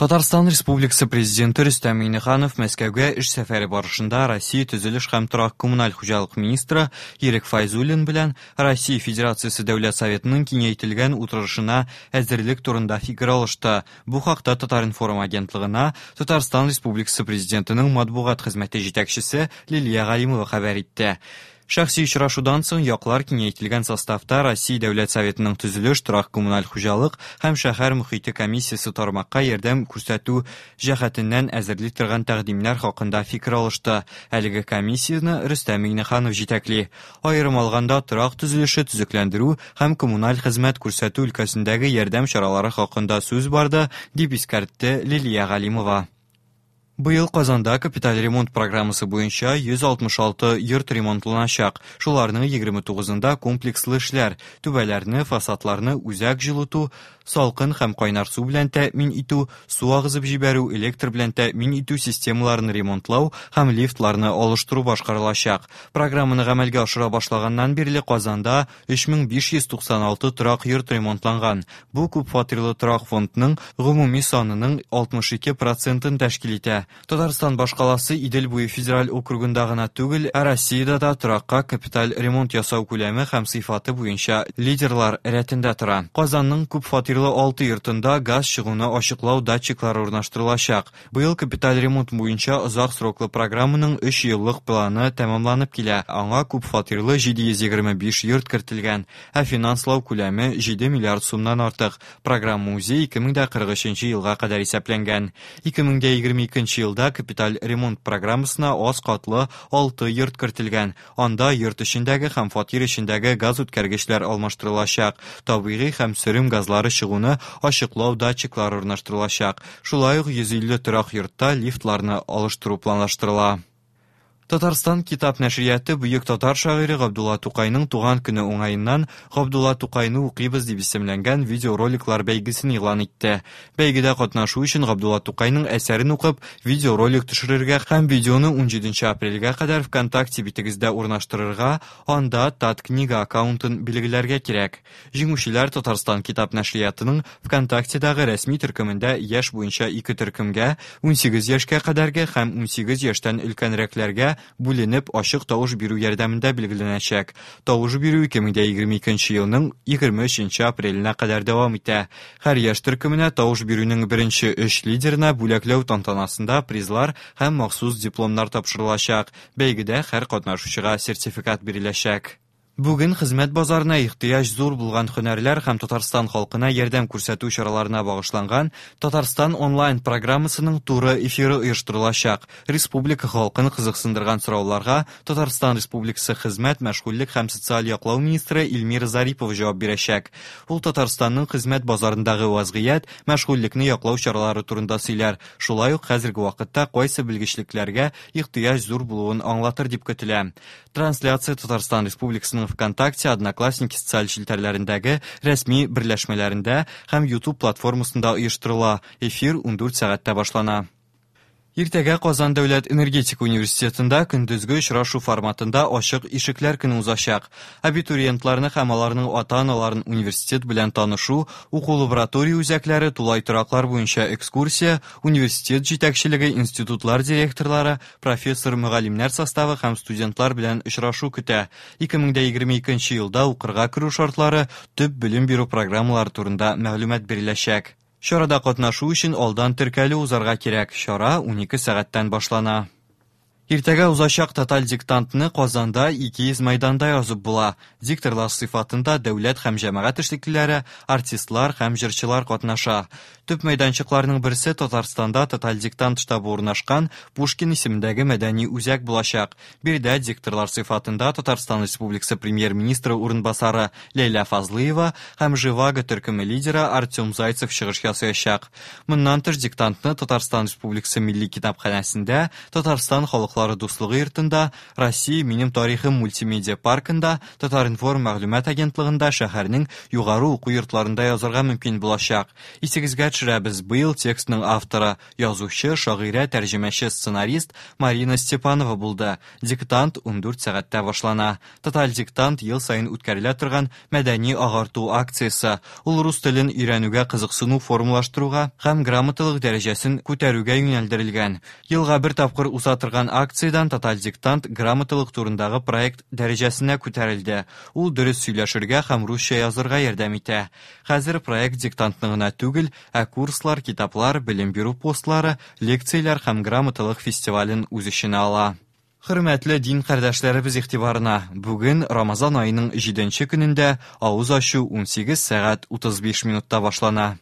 Татарстан Республикасы Президенты Рөстәм Миңнеханов Мәскәүгә эш сәфәре барышында Россия төзелеш һәм торак-коммуналь хуҗалык министры Ирек Файзуллин белән Россия Федерациясе Дәүләт Советының киңәйтелгән утырышына әзерлек турында фикер алышты. Бу хакта Татар-информ агентлыгына Татарстан Республикасы Президентының матбугат хезмәте җитәкчесе Лилия Галимова хәбәр итте. Шәхси очрашудан соң яклар киңәйтелгән составта Россия Дәүләт Советының төзелеш, торак-коммуналь хуҗалык һәм шәһәр мохите комиссиясе тармакка ярдәм күрсәтү җәһәтеннән әзерли торган тәкъдимнәр хакында фикер алышты. Әлеге комиссияне Рөстәм Миңнеханов җитәкли. Аерым алганда, торак төзелеше, төзекләндерү һәм коммуналь хезмәт күрсәтү өлкәсендәге ярдәм чаралары хакында сүз барды, дип искәртте Лилия Галимова. Быел Казанда капиталь ремонт программасы буенча 166 йорт ремонтланачак. Шуларның 29-ында комплекслы эшләр, түбәләрне, фасадларны үзәк җылыту, салкын һәм кайнар су белән тәэмин итү, су агызып җибәрү, электр белән тәэмин итү системаларын ремонтлау һәм лифтларны алыштыру башкарылачак. Программаны гамәлгә ашыра башлаганнан бирле Казанда 3596 торак йорт ремонтланган. Бу күпфатирлы торак фондның гомуми санының 62 процентын тәшкил итә. Татарстан башкаласы Идел буе федераль округында гына түгел, ә Россиядә дә торакка капиталь ремонт ясау күләме һәм сыйфаты буенча лидерлар рәтендә тора. Казанның күпфатирлы алты йортында газ чыгуны ачыклау датчиклары урнаштырылачак. Быел капиталь ремонт буенча озак сроклы программаның өч еллык планы тәмамланып килә, аңа күп фатирлы 725 йорт кертелгән, ә финанслау күләме 7 миллиард сумнан артык. Программа үзе 2043 елга кадәр исәпләнгән. 2022 елда капиталь ремонт программасына аз катлы 6 йорт кертелгән, Анда йорт эчендәге һәм фатир эчендәге газүткәргечләр алмаштырылачак, табигый һәм сөрем газлары чыгуны ачыклау датчиклары урнаштырылачак. Шулай ук 150 торак йортта лифтларны алыштыру планлаштырыла. Татарстан китап нәшрияты бөек татар шагыйре Габдулла Тукайның туган көне уңаеннан Габдулла Тукайны укыйбыз дип исемләнгән видеороликлар бәйгесен игълан итте. Бәйгедә катнашу өчен Габдулла Тукайның әсәрен укып, видеоролик төшерергә һәм видеоны 17 апрельгә кадәр ВКонтакте битегездә урнаштырырга, анда Таткнига аккаунтын билгеләргә кирәк. Җиңүчеләр Татарстан китап нәшриятының ВКонтактедагы рәсми төркемендә яшь буенча ике төркемгә, 18 яшькә кадәрге һәм 18 яшьтән өлкәнрәкләргә бүленеп, ачык тавыш бирү ярдәмендә билгеләнәчәк. Тавыш бирү 2022 елның 23 апреленә кадәр дәвам итә. Һәр яшь төркеменә тавыш бирүнең беренче өч лидерына бүләкләү тантанасында призлар һәм махсус дипломнар тапшырылачак. Бәйгедә һәр катнашучыга сертификат биреләчәк. Бүген хезмәт базарына ихтыяҗ зур булган һөнәрләр һәм Татарстан халкына ярдәм күрсәтү чараларына багышланган Татарстан онлайн программасының туры эфиры оештырылачак. Республика халкын кызыксындырган сорауларга Татарстан Республикасы хезмәт, мәшгульлек һәм социаль яклау министры Эльмира Зарипова җавап бирәчәк. Ул Татарстанның хезмәт базарындагы вазгыять, мәшгульлекне яклау чаралары турында сөйләр, шулай ук хәзерге вакытта кайсы белгечлекләргә ихтыяҗ зур булуын аңлатыр дип көтелә. Трансляция Татарстан Республикасының ВКонтакте, Одноклассники социаль челтәрләрендәге рәсми берләшмәләрендә һәм YouTube платформасында оештырыла. Эфир 14 сәгатьтә башлана. Иртәгә Казан дәүләт энергетика университетында көндезге очрашу форматында ачык ишекләр көне узачак. Абитуриентларны һәм аларның ата-аналарын университет белән танышу, уку лаборатория үзәкләре, тулай тораклар буенча экскурсия, университет җитәкчелеге, институтлар директорлары, профессор-мөгаллимнәр составы һәм студентлар белән очрашу көтә. 2022 елда укырга керү шартлары, төп белем бирү программалары турында мәгълүмат биреләчәк. Чарада катнашу өчен алдан теркәлү узарга кирәк. Чара 12 сәгатьтән башлана. Иртәгә узачак тоталь диктантны Казанда 200 мәйданда язып була. Дикторлар сыйфатында дәүләт һәм җәмәгать эшлеклеләре, артистлар һәм җырчылар катнаша. Төп мәйданчыкларның берсе Татарстанда тоталь диктант штабы урнашкан Пушкин исемендәге мәдәни үзәк булачак. Биредә дикторлар сыйфатында Татарстан Республикасы Премьер-министры урынбасары Ләйлә Фазлыева һәм Живаго төркеме лидеры Артем Зайцев чыгыш ясаячак. Моннан тыш диктантны Татарстан Республикасы Милли китапханәсендә, Татарстан халыклары дуслыгы йортында, Россия минем тарихым мультимедиа паркында, Татар-информ мәгълүмат агентлыгында, шәһәрнең югары уку йортларында язарга мөмкин булачак. Исегезгә төшерәбез, төшерәбез, быел текстның авторы, язучы, шагыйрә, тәрҗемәче, сценарист Марина Степанова булды. Диктант 14 сәгатьтә башлана. Тоталь диктант ел саен үткәрелә торган мәдәни-агарту акциясе. Ул рус телен өйрәнүгә кызыксыну формалаштыруга һәм грамоталык дәрәҗәсен күтәрүгә юнәлдерелгән. Елга бер тапкыр уза торган акциядән Тоталь диктант грамоталык турындагы проект дәрәҗәсенә күтәрелде. Ул дөрес сөйләшергә һәм русча язырга ярдәм итә. Хәзер проект диктантны гына түгел, ә курслар, китаплар, белем бирү постлары, лекцияләр һәм грамоталык фестивален үз эченә ала. Хөрмәтле дин кардәшләребез игътибарына, бүген Рамазан аеның 7 нче көнендә авыз ачу 18 сәгать 35 минутта башлана.